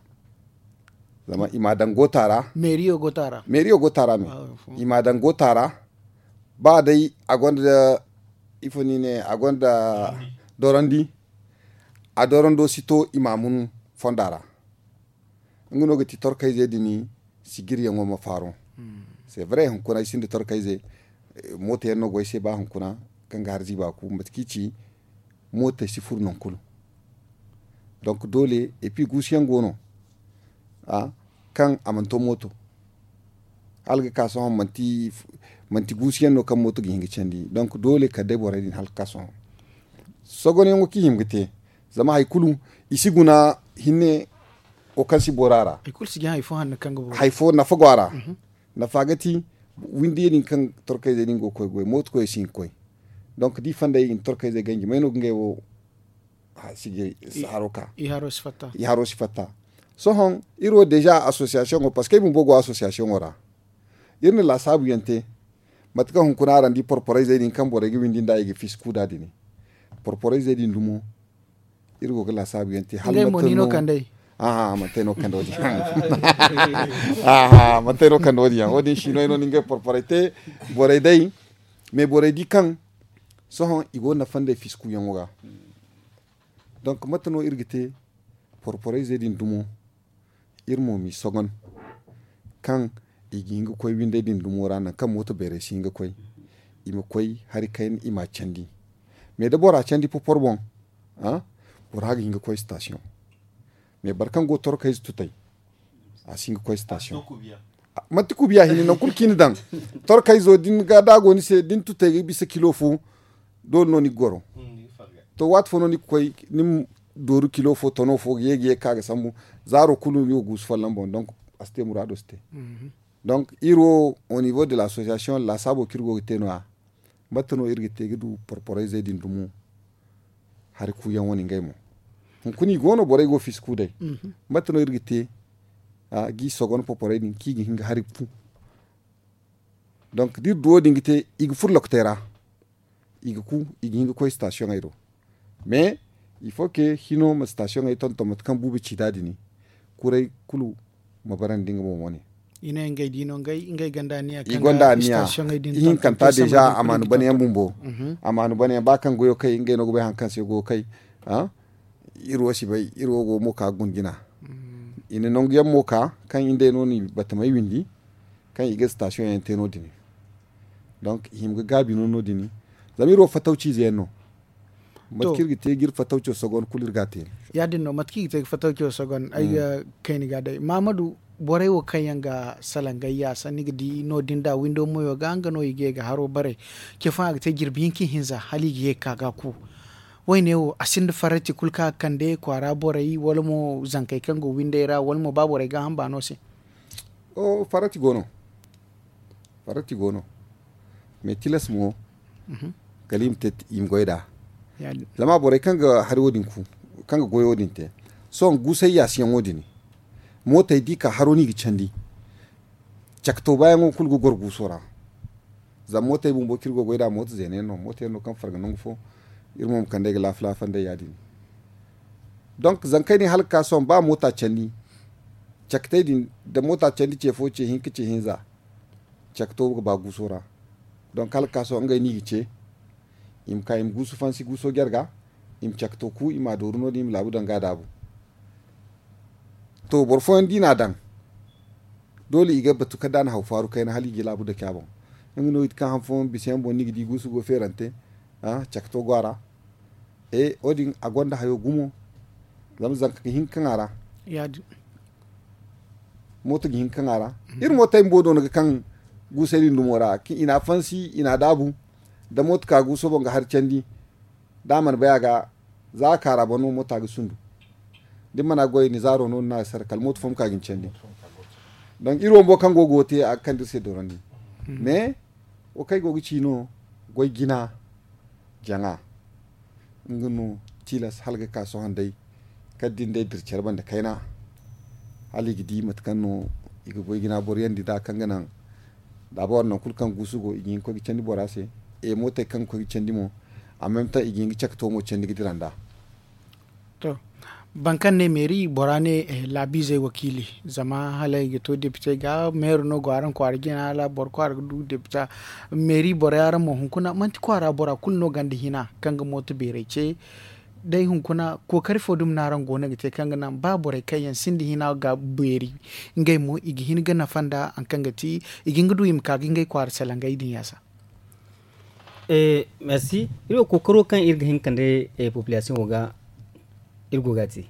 Zama i m'a daŋ goota ra. Meeriyo goota ra meeriyo goota ra me. I m'a daŋ goota ra. Ba day a gonda ifo ni ne a gonda dorandi. A dorando si to i m'a mun fonda ra. Nga no ga ti torkayze din sijiriyaŋo ma faaru. C'est vrai hunkuna ay sinda torkayze. Mooto yaŋ no go ay se ba hunkuna kaŋ ga har ziiba ku mate kaŋ i ci. Mootey si furu nangu kulu. Donc doole et puis guusuyaŋ go no kaŋ a mana to mooto. Hala ga ka sohõ manti guusuyaŋ no kaŋ mooto ga hin ga candi donc doole kala day borey din hala ga ka sohõ. Sogonyaŋo kaŋ i hima ga te zama hari kulu i si guna hinne wo kaŋ si boro a ra. Hari fo nafa go a ra. Nafa ga ti windi din kaŋ torkayzey din go ga koy goy mooto koyey si hin ga koy. Donc da i fonda i ga ni torkayzey ganji may no ga ngey wo sijiri haro ka. I haro si fatta. Sohõ iri wo deja association wo parceque ay bumbo go association wo ra. Iri na laasaabu yaŋ te mate kaŋ hunkuna araŋ di porporayzey din kaŋ borey ga windi nd'a i ga fiisi kuuda din. Porporayzey din dumo iri go ga laasaabu yaŋ te hala mate no kandey. Aha mate no kande wo- din yaŋ wo- din siinoy no ni ngey porporay te. Borey day mais borey di kaŋ sohõ i go ga nafa nd'ey fiisi kuuyaŋo ga. Donc mate no iri ga te porporayzey din dumo iri mo m'i sogon kaŋ i ga hin ga koy windey din dumo ra nangu kaŋ mooto beerey si hin ga koy. I ma koy hari kayna i m'a candi. Mais da bora candi popor boŋ bora ga hin ga koy station. Mais boro kaŋ go torkayze tutay a si hin ga koy station. Manti kubiya hinne nangu kulu kaŋ i na daŋ torkayzo da a go ni se da ni tutay ga bisa kilo fo. Doole no ni ga goro to waati fo no ni ga koy ni ma dooru kilo fo tono fo ga ye ga ye ga ka ga sambu. Zaaro kulu ni wo guusu folloŋ boŋ donc a si te muraado si te. Donc iri wo au niveau de l'association laasaabo kaŋ iri go ga te no- ya mate no iri ga te ga du porporayzey din dumo. Hari kuuyaŋ wane ngey mo hunkuna i go no borey go fiisi kuu day. Mate no iri ga te ga i sogon porporey din kaŋ i ga hin ga hari ku. Donc da iri du wo- din ga te i ga furo lokotey ra. I ga ku i ga hin ga koy sitasiyoŋey do. Mais il faut que hino ma sitasiyoŋey tonton mate kaŋ buubi ci nd'a din. Kuray kulu ma barandi nga boŋ wane. I ne ngey di no ngey ganda anniya kaŋ ga sitasiyoŋey din tonton i hinkanta deja amaanu bane yaŋ bumbo. Amaanu bane yaŋ ba kaŋ goyo kay ngey no ga bay hari kaŋ se goyo kay. Iri wo si bay iri wo go mo ka ga guna jina. I na nangu yaŋ mo ka kaŋ iri day no ni batamey windi kaŋ i ga sitasiyoŋ yaŋ te no- din. Donc i hima ga gaabi no no- din. Zama iri wo fattaw ciize yaŋ no. Mate kaŋ iri ga te ga iri fatawco sogon kulu iri ga a te. Ya- din no mate kaŋ iri ga te ga fatawco sogon ay ga kayna ga day mahamadu. Borey wo kaŋ yaŋ ga salangayya sanni ga di no- din da windo moyo ga nga no i ga ye ga haro bare. Ce fooyaŋ a ga te jirbi hinka ihinza hala i ga ye ga ka ga a ku. Wayne wo a sinda farrati kulu kaŋ a ga kande kwaara borey wala mo zankey kaŋ go windey ra wala mo ba borey gaaham baano se. Farrati go no. Farrati go no. Mais tilas mo kala i ma te i ma goy nd'a. Zama borey kaŋ ga hari wo- din ku kaŋ ga goyo din te sohõ guusay yaasiyaŋo din. Mootey da i ka haro no i ga candi. Cakto baayaŋo kulu ga goro guuso ra. Zama mootey bumbo kaŋ iri go ga goy nd'a mooto zeena yaŋ no mooto yaŋ no kaŋ farga nangu fo. Iri mo ma kand'ey ga laafa laafa nd'ey ya- din. Donk zankey din hala ga ka sohõ ba moota candi. Caktey din da moota candi ce fo ce hinka ce hinza. Cakto ga ba guuso ra. Donk hala ga ka sohõ ngey no i ga ce. I ma ka i ma guusu fansi guuso jare ga. I ma cakto ku i m'a dooru no- din i ma laabu daŋ ga a daabu. To boro fooyaŋ da i n'a daŋ. Doole i ga batu kala da a na haw faaru kayna hala i ga i laabu dake a boŋ. Nga no i ti kaŋ han fooyaŋ bisa yaŋ boŋ no i ga di guusu go feerante. Cakato go a ra. Wo- din a gonda hayo gumo. Zama zanka ga hin ga kaŋ a ra. Mooto ga hin ga kaŋ a ra. Iri mootey bumbo do no ga kaŋ guusey din dumo ra kaŋ i n'a fansi i n'a daabu. Da mooto ka guuso boŋ ga hari candi. Da a mana bay a ga za a kaara boŋ no moota ga sundu. Da ni mana goy ni zaaro no ni n'a sara kala mooto fo ma ka ga ni candi. Donk iri wo bumbo kaŋ go ga wo te a ga kande iri se dorandi. Mais wo kaŋ ay go ga ci no goy jina jaŋa. Nga no tilas hala ga ka sohõ day. Kala da ni day dira care banda kayna. Hala i ga di mate kaŋ no i ga goy jina boro yandi nd'a kaŋ ga naŋ. Daabor nangu kulu kaŋ guusu go i ga hin ga koy ga candi bora se. Mootey kaŋ ga koy ga candi mo. Amma mate i ga hin ga caka to mo candi ga dira nd'a. To, boro kaŋ ne meeri bora ne laabiizey wakiili. Zama hala i ga to depite ga meero no go araŋ kwaara jina hala boro kwaara ga du depita. Meeri borey araŋ mo hunkuna manti kwaara bora kulu no gonda hina kaŋ ga mooto beerey ce. Day hunkuna kookari fo dumi no araŋ go no ga te kaŋ ga naŋ ba borey kaŋ yaŋ sinda hina ga beeri. Ngey mo i ga hin ga nafa nda hari kaŋ ga ti i ga hin ga du i ma ka ga ngey kwaara salangey din yaasa. Merci. Iri wo kookaro kaŋ iri ga hin ga kande populasiyoŋo ga iri go ga a te.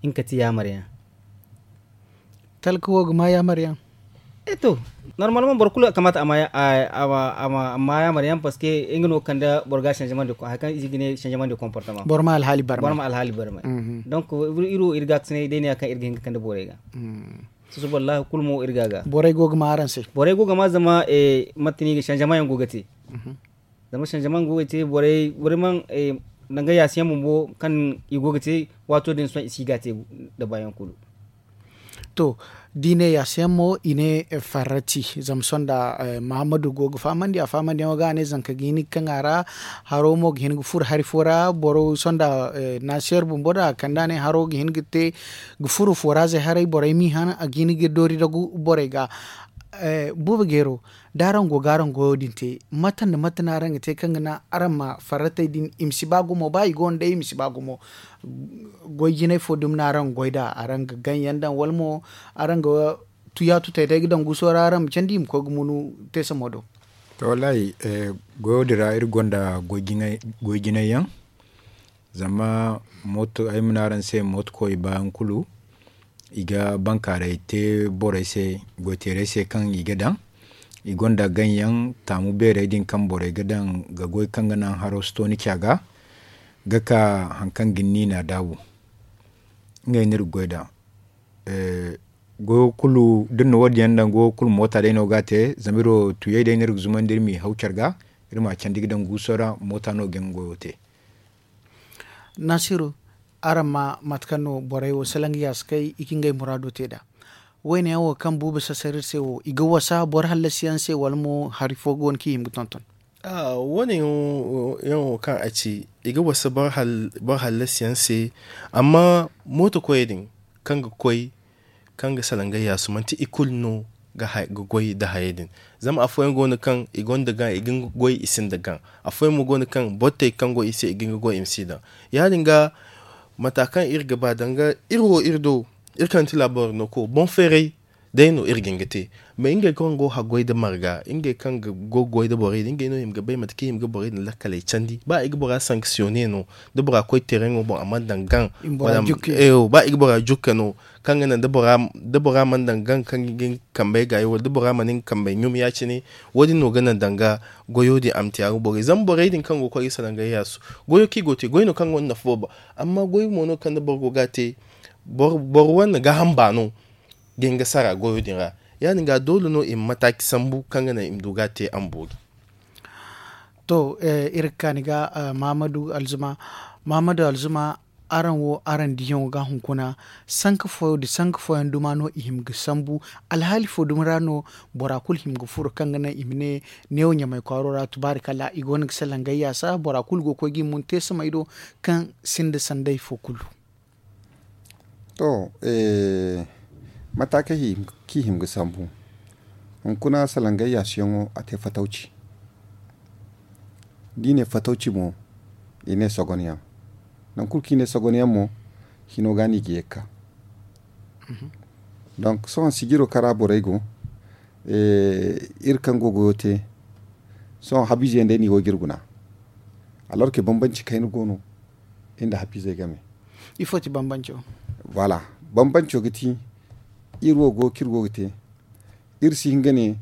Nga ga ti yaamar yaŋ. Talka wo ga ma yaamar yaŋ. E to, normalement boro kulu kamaata a ma yaamar yaŋ parce que nga no ga kande boro ga hari kaŋ i ga ne changement de comportement. Boro ma alhaali barmay. Donc iri wo iri ga a ga sinay day no ya kaŋ iri ga hin ga kande borey ga. Soso wallahi kulu mo iri ga a ga. Borey go ga ma araŋ se. Borey go ga ma zama mate no i ga changement yaŋ go ga te. Zama changement go ga te borey borey mana nangay yaasi yaŋ bumbo kaŋ i go ga te. Waato din sohõ i si ga a te. Nda baayaŋ kulu. To, da i ne yaasi yaŋ mo i ne farrati. Zama sohõ nda mahammadu go ga fahamandi a fahamandiyaŋo ga a ne zanka ga hin ga kaŋ a ra. Haro mo ga hin ga furo hari fo ra boro sohõ nda naasiyer bumbo da a kande a ne haro ga hin ga te ga furo fooraazey haray borey m'i han a ga hin ga doori dagu borey ga. Buuba geero, da araŋ go ga araŋ goyo din te mate nda mate no araŋ ga te kaŋ ga naŋ araŋ ma farratey din i ma si ba gumo ba i go nda day i ma si ba gumo? Goy jinay fo dumi no araŋ ga goy nd'a araŋ ga gaŋ yaŋ daŋ wala mo araŋ ga tuyaatutey day ga daŋ guuso ra araŋ ma candi i ma koy ga munu teesamo do? To wallaahi, goyo din ra iri gonda goy jinay yaŋ. Zama mooto ay ma ne araŋ se mooto koy baayaŋ kulu i ga bankaaray te borey se goyteerey se kaŋ i ga daŋ. I gonda gaŋ yaŋ taamu beerey din kaŋ borey ga daŋ ga goy kaŋ ga naŋ haro si to ni ca ga. Ga ka hari kaŋ ga ni niina daabu. Ngey no iri ga goy nd'a. Goyo kulu da iri na wo- din yaŋ daŋ goyo kulu moota day no ga a te zama iri wo tuyey day no iri ga zumandi iri m'i haw care ga. Iri m'a candi ga daŋ guuso ra moota no ga nga goyo te. Naasiru, araŋ ma mate kaŋ no borey wo salaŋ ga yaasi kay i ga ngey muraado te nd'a. Wayne yaŋ wo kaŋ buuba sasar iri se wo i ga wasa boro hallasi yaŋ se wala mo hari fo go no kaŋ i hima ga tonton? Wo- ne yaŋ wo kaŋ a ci i ga wasa boro hallasi yaŋ se. Amma mooto koyey din kaŋ ga koy kaŋ ga salaŋ ga yaasu manti i kulu no ga goy nda hayey din. Zama afooyaŋ go no kaŋ i gonda gaŋ i ga nga goy i sinda gaŋ. Afooyaŋ mo go no kaŋ bottey kaŋ go i se i ga nga goy i ma si daŋ. Ya- din ga mata kaŋ iri ga ba danga iri wo iri do iri kaŋ ti laaboro no ko boŋ feeray. day no iri ga hin ga te. Mais ngey kaŋ go ga haggoy nda marga, ngey kaŋ go ga goy nda borey din, ngey no i hima ga bay mate kaŋ i hima ga borey din lakkaley candi. Ba i ga bora sankisiyone no, da bora koy tereŋo boŋ a mana daŋ gaŋ, ba i ga bora jukke no, kaŋ ga naŋ da bora mana daŋ gaŋ kaŋ ga hin ga kambey gaayi wala da bora mana hin ga kambey ɲum ya- cine. Wo- din no ga naŋ danga goyo din a ma te a ga borey zama borey din kaŋ go ga koy ga salaŋ ga yaasu, goyo kaŋ i go ga te goy no kaŋ gonda nafa boobo. Amma goy mo no kaŋ da boro go ga a te, boro wane gaaham baano ga hin ga sara goyo din ra. Ya- din ga doole no i ma mataaci sambu kaŋ ga naŋ i ma du ga a te a ma boori. To, iri ga kaani ga mahamadu alzuma. Mahamadu alzuma, araŋ wo araŋ diyaŋo ga hunkuna, sanka fooyaŋ duma no i hima ga sambu? Alhaali fo dumi ra no bora kulu hima ga furo kaŋ ga naŋ i ma ne neewo ɲamay kwaaro ra tubaari kala i go no ga salaŋ gayyaasa bora kulu go ga koy ga i mun te samay do, kaŋ sinda sanday fo kulu? To, mata kaŋ i hima ga sambu, hunkuna salaŋ gayyaasiyaŋo a te fatawci. Da i ne fatawci mo, i ne sogonyaŋ. Nangu kulu kaŋ i ne sogonyaŋ mo, hino ga no i ga ye ga ka. Donk sohõ sijiro kaŋ ra borey go, iri kaŋ go goyo te, sohõ habiize yaŋ day no i go ga iri guna. Alorke bambanci kayna go no, iri nda habiizey game. Ifo ti bambanco? Voilà. Bambanco ga ti, iri wo go kaŋ iri go ga te, iri si hin ga ne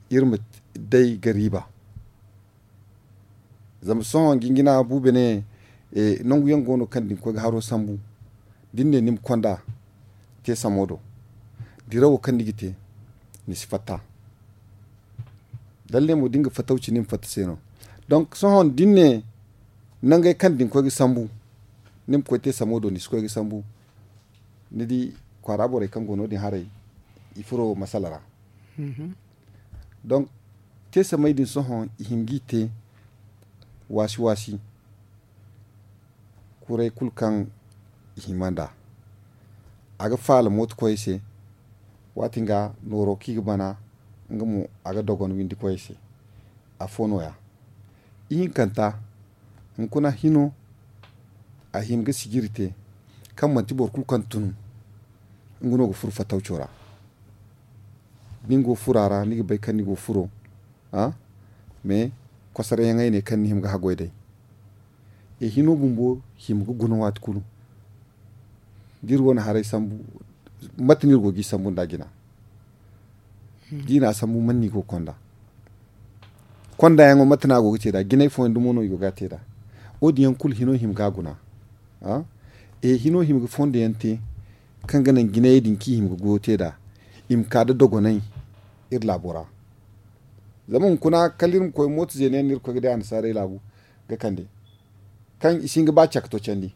iri ma day ga riiba. Zama sohõ jinjina buube ne, nangu yaŋ go no kaŋ da ni koy ga haro sambu, da ni ne ni ma konda te samo do, dirawo kaŋ ni ga te, ni si fatta. Lalle mo da ni ga fatawci ni ma fatta se no. Donk sohõ da ni ne nangey kaŋ da ni koy ga sambu, ni ma koy te samo do ni si koy ga sambu. Ni di kwaara borey kaŋ go no- din haray, i furo masala ra. Donk te samey din sohõ i hin ga i te waasi waasi. Kuray kulu kaŋ i hima nd'a, a ga faala mooto koyey se. Waati nga nooro kaŋ i ga bana, nga mo a ga dogon windi koyey se. Afo nooya, ihinkanta, hunkuna hino a hima ga sijiri te, kaŋ manti boro kulu kaŋ tun nga no ga furo fatawco ra. Da ni go fura ra ni ga bay kaŋ ni go furo, mais kosarayyaŋey ne kaŋ ni hima ga haggoy day. E hino bumbo hima ga guna waati kulu. Da iri wane haray sambu, mate no iri go ga i sambu nd'a jina? Da i na a sambu man no i go ga konda? Konda yaŋo mate no a go ga te nd'a? Jinay fooyaŋ dumo no i go ga a te nd'a? Wo- din yaŋ kulu hino hima ga a guna. E hino hima ga fondo yaŋ te, kaŋ ga naŋ jinayey din kaŋ i hima ga goyo te nd'a, i ma ka nda dogonay iri laabo ra. Zama hunkuna kala iri ma koy mooto zeena yaŋ no iri ga koy ga day annasaarey laabu ga kande, kaŋ i si hin ga ba cakto candi.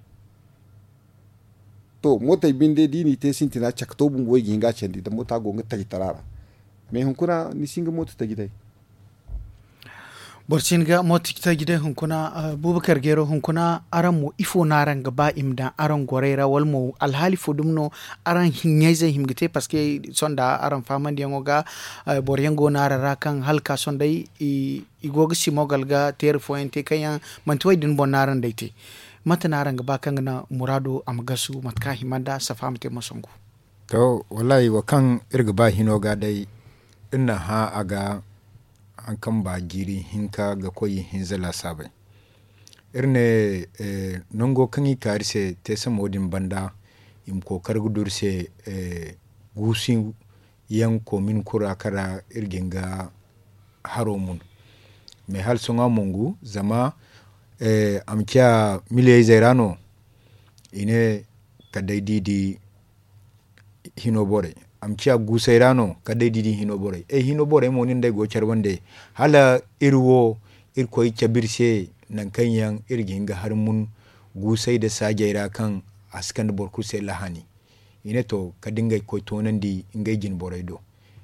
To mootey binde da i n'i te sintina cakto bumbo i ga hin ga a candi da mooto a go nga tajitara ra. Mais hunkuna ni si hin ga mooto taji day. Boro si hin ga mooto taji day hunkuna. Buubakar geero hunkuna, araŋ mo ifo no araŋ ga ba i ma daŋ araŋ gorey ra wala mo alhaali fo dumi no? Araŋ ɲayzey hima ga te parceque sonda araŋ faamandiyaŋo ga, boro yaŋ go no araŋ ra kaŋ hala ga ka sohõ day i go ga simogal ga teeri fooyaŋ te kaŋ yaŋ manti wo- din boŋ no araŋ day te. Mate no araŋ ga ba kaŋ ga naŋ muraado a ma gasu mate kaŋ a hima nd'a safa ma te mosangu? To, wallaahi wo kaŋ iri ga ba hino ga day, iri na hã a ga haŋ kaŋ ba jiiri hinka ga koy ihinza laasaabey. Iri ne nango kaŋ i ka iri se teesamo din banda, i ma kookari ga du iri se guusu yaŋ koomin kulu ra kaŋ ra iri ga hin ga haro mun. Mais hala sohõ a mongu zama a ma ciya miliyey zey ra no. I ne kala day da i di hino borey, a ma ciya guusey ra no kala day da i di hino borey. Ay hino borey mo nin day go care bande hala iri wo iri koy cabe iri se nangu kaŋ yaŋ iri ga hin ga hari mun guusey nda saajey ra kaŋ a si kande boro kulu se lahani. I ne to kala da ngey ga koy toonandi ngey jine borey do.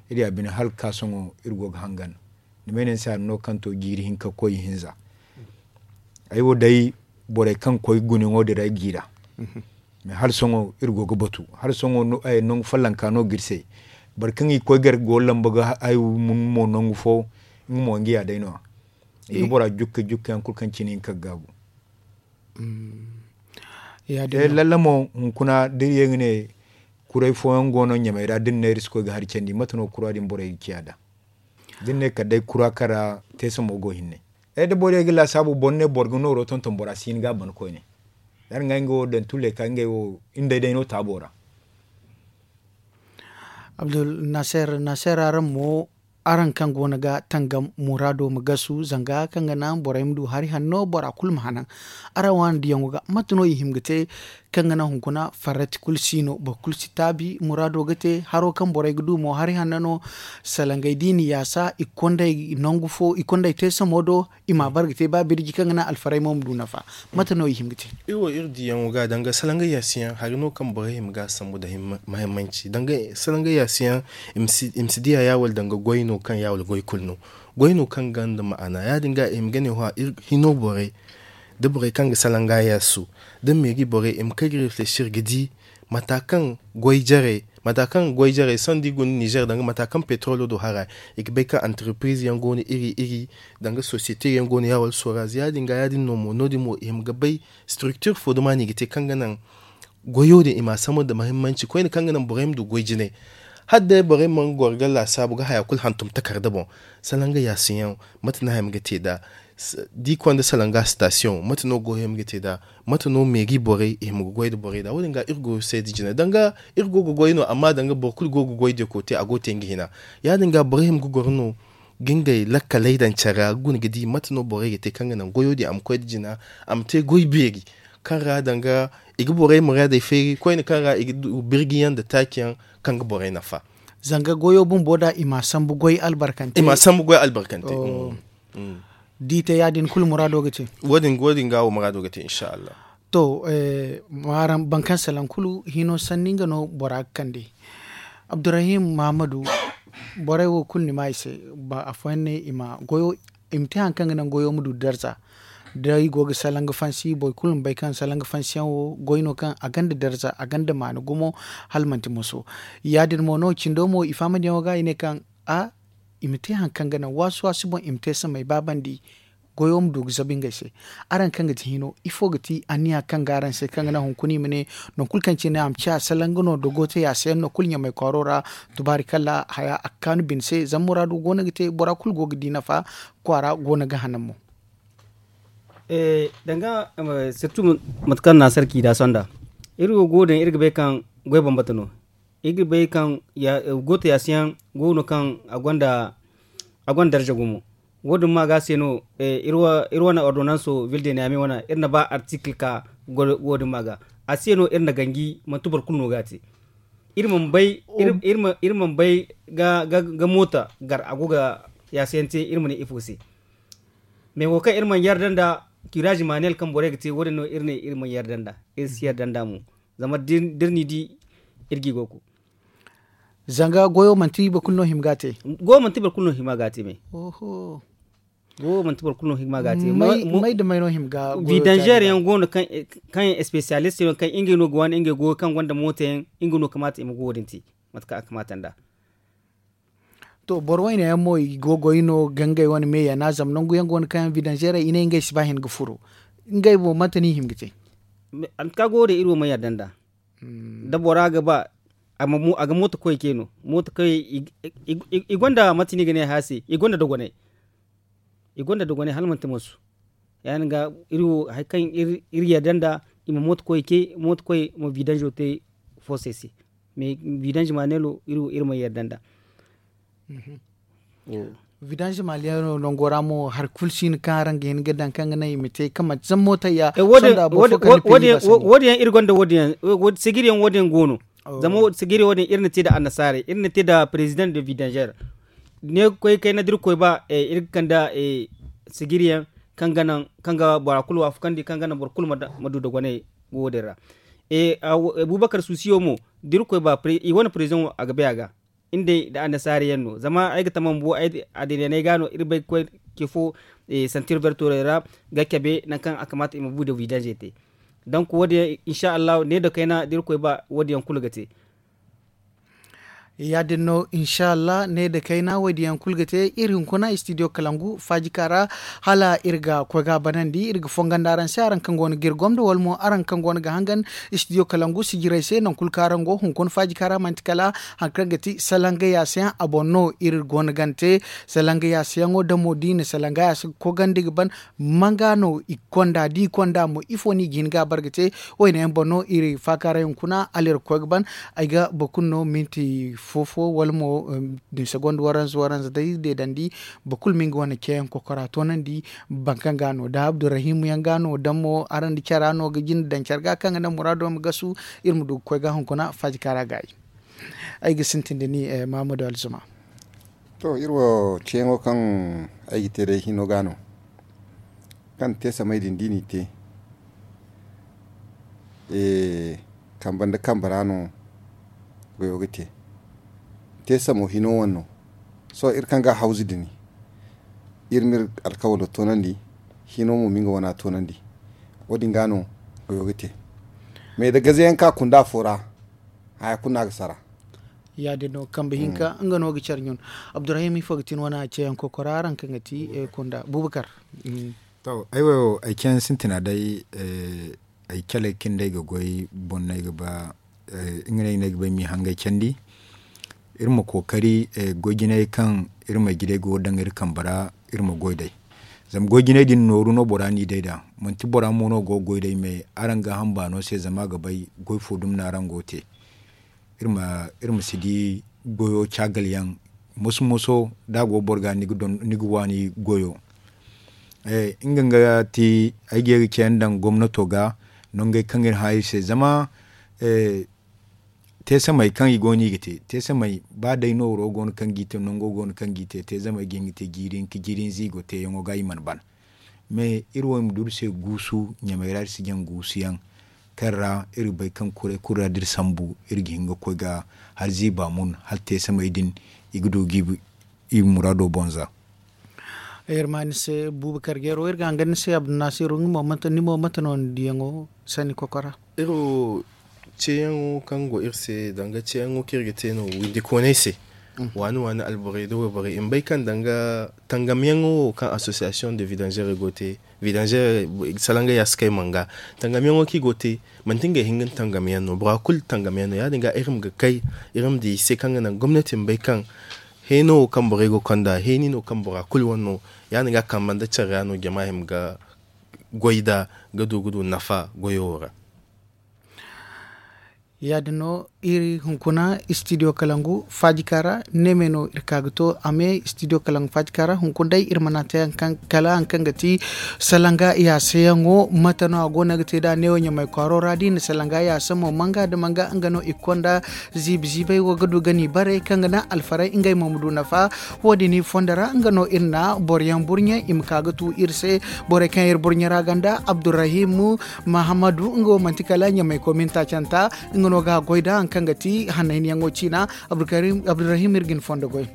Iri ya bine hala ga ka sohõ iri go ga hangan. Ni ma ay ne ni se hari no kaŋ to jiiri hinka ga koy ihinza. Ay wo day borey kaŋ ga koy gunayaŋo din ra ay g'i ra. Mais hala sohõ iri go ga batu hala sohõ nangu follonka no ga iri se. Boro kaŋ i ga koy gar go lamba ga hayo mun mo nangu fo nga mo nga ya day no-ya. I ga bora jukke jukke yaŋ kulu kaŋ cine hinka ga gaabu. Lalla mo hunkuna da iri ye ga ne Kuray fooyaŋ go no ɲamey ra da ni ne iri si koy ga hari candi mate no kura din borey ga ciya nd'a? Da ni ne kala day kura kaŋ ra teesa mo go hinne. Ay da borey ga laasaabu boro ne boro ga nooro tonton bora si hin ga a ban koyne. Yaadin ga nga wo daŋ tulley ka ngey wo iri day day no taabo ra. Abdul naser naser araŋ mo, araŋ kaŋ go no ga tangam muraado ma gasu zanga kaŋ ga naŋ borey ma du hari hanno bora kulu ma hanan. Araŋ waani diyaŋo ga mate no i hima ga te kaŋ ga naŋ hunkuna farrati kulu si no boro kulu si taabi muraado ga te haro kaŋ borey ga du mo hari hanno no. Salangey da i na yaasa i ga konda i nangu fo i konda i te samo do. I ma a bare ga te ba birji kaŋ ga naŋ alfarey mo ma du nafa. Mate no i hima ga te? Iri wo iri diyaŋo ga danga salangey yaasiyaŋ hari no kaŋ borey hima ga a sambu nda mahimmanci danga salangey yaasiyaŋ. I ma si diya ya wala danga goy no kaŋ ya wala goy kulu no. Goy no kaŋ gonda ma'ana ya- din ga i ma ga ne hino borey da borey kaŋ ga salanga yaasu da meeri borey i ma kay ga reflesir ga di mata kaŋ goy jarey mata kaŋ goy jarey sohõ da i guna ninzeer danga mata kaŋ petrolo do hara i ga bay kaŋ antarpiriz yaŋ go no iri iri danga sosiyete yaŋ go no ya wala soraz ya- din ga ya- din no mo no- din mo i hima ga bay. Structure fo duma no i ga te kaŋ ga naŋ goyo din i ma a sambu nda mahimmanci koyne kaŋ ga naŋ borey ma du goy jinay. Hala day borey mana goro ga laasaabu ga haya kulu hantum takarda boŋ. Salanga yaasiyaŋ mate no haya ma ga te nd'a? Da i konda salanga sitasiyoŋ mate no goyo hima ga te nd'a? Mate no meeri borey i hima ga goy nda borey nd'a wo- din ga iri go ga seeda jine danga iri go ga goy no amma danga boro kulu go ga goy dekote a go ga te nga hina. Ya- din ga borey hima ga goro no ga ngey lakkaley daŋ care ra ga guna ga di mate no borey ga te kaŋ ga naŋ goyo din a ma koy nda jina a ma te goy beeri kaŋ ra danga i ga borey muraadey feeri koyne kaŋ ra i ga du birjiyaŋ nda taaci yaŋ kaŋ ga borey nafa. Zanga goyo bumbo da i ma a sambu goy albarkante. I ma a sambu goy albarkante. Da i te ya- din kulu muraado ga te. Wo- din ga wo muraado ga te insa allah. To, boro kaŋ salaŋ kulu hino sanni nga no bora ga kande. Abdurrahim mahammadu, borey wo kulu ni ma i se. Afooyaŋ ne i ma goyo i ma te hari kaŋ ga naŋ goyo ma du darza. Da i go ga salaŋ ga fansi boro kulu ma bay kaŋ salaŋ ga fansi yaŋ wo goy no kaŋ a gonda darza a gonda maana gumo. Hala manti moso ya- din mo no cindo mo i faham diyaŋo ga i ne kaŋ a i ma te hari kaŋ ga naŋ waasu waasu boŋ i ma te samay ba bandi. Goyo ma du ga zabu ngey se. Araŋ kaŋ ga ti hino ifo ga ti anniya kaŋ ga araŋ se kaŋ ga naŋ hunkuna i ma ne? Nangu kulu kaŋ cine a ma ciya salaŋ ga no dogo te yaasa yaŋ no kulu ɲamay kwaaro ra. Tubaari kala haya a ga kaanu bine se zama muraado go no ga te bora kulu go ga di nafa kwaara go no ga hanan mo. Danga sirtu mate kaŋ naasar ciida sonda iri wo go din iri ga bay kaŋ goy bambata no. Iri ga bay kaŋ goota yaasa yaŋ go no kaŋ a gonda darza gumo. Wo- din ma ga se no iri wane ordonanso ville de niyame wane iri na ba artikil ka wo- din ma ga a se no iri na ganji manti boro kulu no ga a te. Iri mana bay ga moota gar a go ga yaasa yaŋ te iri ma ne ifo se. Mais wo kaŋ iri mana yarda nda kiraaz manuel kaŋ borey ga te wo- din no iri ne iri mana yarda nda iri si yarda nda mo. Zama da iri n'i di iri g'i goy ku. Zanga goyo manti boro kulu no hima ga a te. Goyo manti boro kulu no hima ga a te me. Goyo manti boro kulu no hima ga a te. May da may no hima ga a te. Vidanzer yaŋ go no kaŋ yaŋ espesiyalist yaŋ kaŋ ngey no ga waani ngey goyo kaŋ gonda mooto yaŋ nga no kamaata i ma go wo- din te. Mate kaŋ a kamaata nd'a. To boro wayne yaŋ mo i go goy no ga ngey wane me yana zama nangu yaŋ go no kaŋ yaŋ vidanzerey i ne ngey si ba hin ga furo. Ngey mo mate no i hima ga te? Anka go wo din iri wo mana yarda nd'a. Da bora ga ba a ga mooto koy ce no mooto koy i gonda mate no i ga ne haya se i gonda dogonay. I gonda dogonay hala manti mansu. Ya- din ga iri wo hari kaŋ iri yarda nd'a i ma mooto koy ce mooto koy ma vidanzo te foosey se. Mais vidanzo maneelo iri wo iri mana yarda nd'a. Vidanzo maneelo nango ra mo hari kulu si no kaŋ araŋ ga hin ga daŋ kaŋ ga naŋ i ma te kaŋ manti zama mootey ya. Wo- din yaŋ iri gonda wo- din yaŋ sigiri yaŋ wo- din yaŋ go no. Zama sigiri wo- din iri na te nda annasaarey iri na te nda perezidaŋ de vidanzer. Ne koy kayna da iri koy ba iri ga kande sigiri yaŋ kaŋ ga naŋ kaŋ ga bora kulu waafakandi kaŋ ga naŋ boro kulu ma du dogonay. Wo- din ra. Abubakar suusiyo mo da iri koy ba i wane perezidaŋ wo a ga bay a ga. Iri day nda annasaara yaŋ no zama ay ga tama bumbo addiinaney ga no iri bay ga koy ce fo. Santir vertorey ra ga cabe nangu kaŋ a kamaata i ma bu da vidanze te. Donk wo- din yaŋ insa allahu ne da kayna da iri koy ba wo- din yaŋ kulu ga te. Ya- din no, insa allah ne nda kayna wo- din yaŋ kulu ga te iri hunkuna istidiyo kalangu faajika ra. Hala iri ga koy ga a banandi iri ga fongondi araŋ se araŋ kaŋ go no ga iri gomdo wala mo araŋ kaŋ go no ga hangan istidiyo kalangu sijirey se nangu kulu kaŋ araŋ go hunkuna faajika ra manti kala hari kaŋ ga ti salanga yaasa yaŋ a boŋ no iri go no ga ni te. Salanga yaasa yaŋo damo da i na salanga yaasa ga kogandi ga ban manga no i konda da i konda mo ifo no i ga hin ga a bare ga te. Wayne yaŋ boŋ no iri faakaaray hunkuna hala iri ga koy ga ban. Ay ga boro kulu no minti fo fo wala mo nda segonda waranza waranza day deedandi. Boro kulu ma nga wane ceeyaŋ kokora toonandi. Boro kaŋ ga no da abdurrahim yaŋ ga no da mo araŋ nda cara no ga jinde daŋ care ga kaŋ ga naŋ muraado ma gasu. Iri ma du ga koy ga hunkuna faajika ra gaayi. Ay ga sintin da ni mahamadu alzuma. To iri wo ceeyaŋo kaŋ ay ga te day hino ga no kaŋ te samay din da i n'i te. Kambe nda kambe ra no goyo ga te. Te samo hino wane no. Sohõ iri kaŋ ga hawzu dini iri ma iri alkawalo toonandi. Hino mo ma nga wana toonandi. Wo- din ga no goyo ga te. Mais da gaze yaŋ ka kunda fo ra haya kulu no a ga sara. Ya- din no kambe hinka nga no ga care ɲun. Abdurrahim ifo ga ti ni wane a ceeyaŋ kokora araŋ kaŋ ga ti kunda bubakar. To ay wo ay ceeyaŋ sintina day. Ay caley kaŋ day ga goy boŋ no ay ga ba nga no ay ga ba ay m'i hangay candi. Iri ma kookari goy jinay kaŋ iri ma ay ga day go ga daŋ iri kambe ra. Iri ma goy day zama goy jinay din nooru no bora n'i day nd'a. Manti bora mo no go ga goy day mais araŋ gaaham baano se zama a ga bay goy fo dumi no araŋ go ga te. Iri ma si di goyo caagal yaŋ moso moso da a go boro ga ni ga waani goyo. Nga nga ti ay ga ye ga ceeyaŋ daŋ gomnato ga nongey kaŋ iri hã iri se zama teesamey kaŋ i go no i ga te teesamey ba day nooro go no kaŋ ga i te nango go no kaŋ ga i te teezamey ga hin ga te jiiri hinka jiiri hinza i go teeyaŋo ga i mana ban. Mais iri wo i ma du iri se guusu ɲamey ra iri si jaŋ guusu yaŋ kaŋ ra iri ga bay kaŋ kuray kulu ra da iri sambu iri ga hin ga koy ga hala ziiba mun hala teesamey din i ga du ga i muraado boŋ za. Iri ma ni se buuba karjeero iri ga hangan ni se abdunaasiru ni mo mate no ni diyaŋo sanni kokora. Iri wo ceeyaŋo kaŋ go iri se danga ceeyaŋo kaŋ iri ga te no windi koonay se waani waani alborey da wayborey i ma bay kaŋ danga tangamyaŋo wo kaŋ association de vidangerey go ga te vidangerey salangay ya si kay manga tangamyaŋo kaŋ i go ga te manti ngey hinga ni tangamyaŋ no bora kulu tangamyaŋ no ya- din ga iri ma ga kay iri ma di i se kaŋ ga naŋ gomnati ma bay kaŋ heeno wo kaŋ borey go ga konda heeni no kaŋ bora kulu wane no. Ya- din ga kambe nda care ra no jama hima ga goy nd'a ga du ga du nafa goyo wo ra. Ya- din no iri hunkuna istidiyo kalangu faajika ra neemey no iri ka ga to a me istidiyo kalangu faajika ra hunkuna day iri mana te kala hari kaŋ ga ti salanga yaasayaŋo mate no a go no ga te nd'a neewo ɲamay kwaaro ra da i na salanga yaasa mo manga nda manga nga no i ga konda ziibi ziibay wo ga du ga n'i bare kaŋ ga naŋ alfaray ngey mo ma du nafa. Wo- din i fondo ra nga no iri na boro yaŋ burɲe i ma ka ga tu iri se. Borey kaŋ iri burɲe ra ganda abdurrahim mahammadu nga wo manti kala ɲamay kominta canta nga no ga a goy nd'a hari kaŋ ga ti hannayniyaŋo ciina. Abdurrahim iri ga ni fondo goy.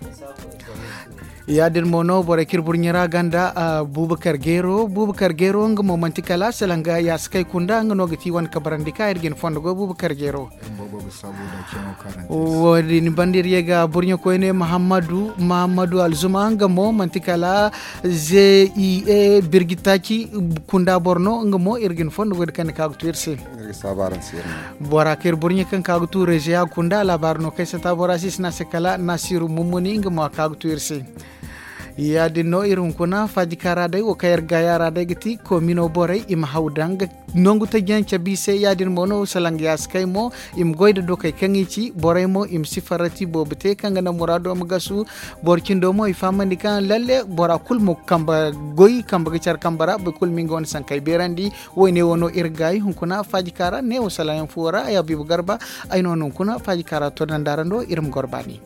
Ya- din mo no borey kaŋ iri burɲe ra ganda buubakar geero buubakar geero nga mo manti kala salanga yaasa kay kunda nga no ga ti wane kabarandi ka iri ga ni fondo goy buubakar geero. Wo- din banda iri ye ga burɲe koyne mahammadu mahammadu alzuma nga mo manti kala ze i e birgitaci kunda boro no nga mo iri ga ni fondo goy da kaŋ ni ka ga tu iri se. Bora kaŋ iri burɲe kaŋ ka ga tu rezeya kunda laabaari no kaŋ ay sata bora se i si ne a se kala nasiru mummuni nga mo a ka ga tu iri se. Ya- din no iri hunkuna faajika ra day wo kaŋ iri gaaya ra day ga ti koomino borey i ma haw daŋ ga nangu tajiyaŋ cabe i se ya- din mo no salanga yaasa kay mo i ma goy nda dokey kaŋ i ci borey mo i ma si farrati boobo te kaŋ ga naŋ muraado ma gasu. Boro cindo mo i fahamandi kaŋ lalle bora kulu ma kambe goy kambe ga care kambe ra boro kulu ma nga wane sankey beerandi. Wayne wo no iri gaayi hunkuna faajika ra neewo salaayaŋ fuwo ra ay habiibu garba. Ay no no hunkuna faajika ra to daŋ nda araŋ do iri ma goro baani.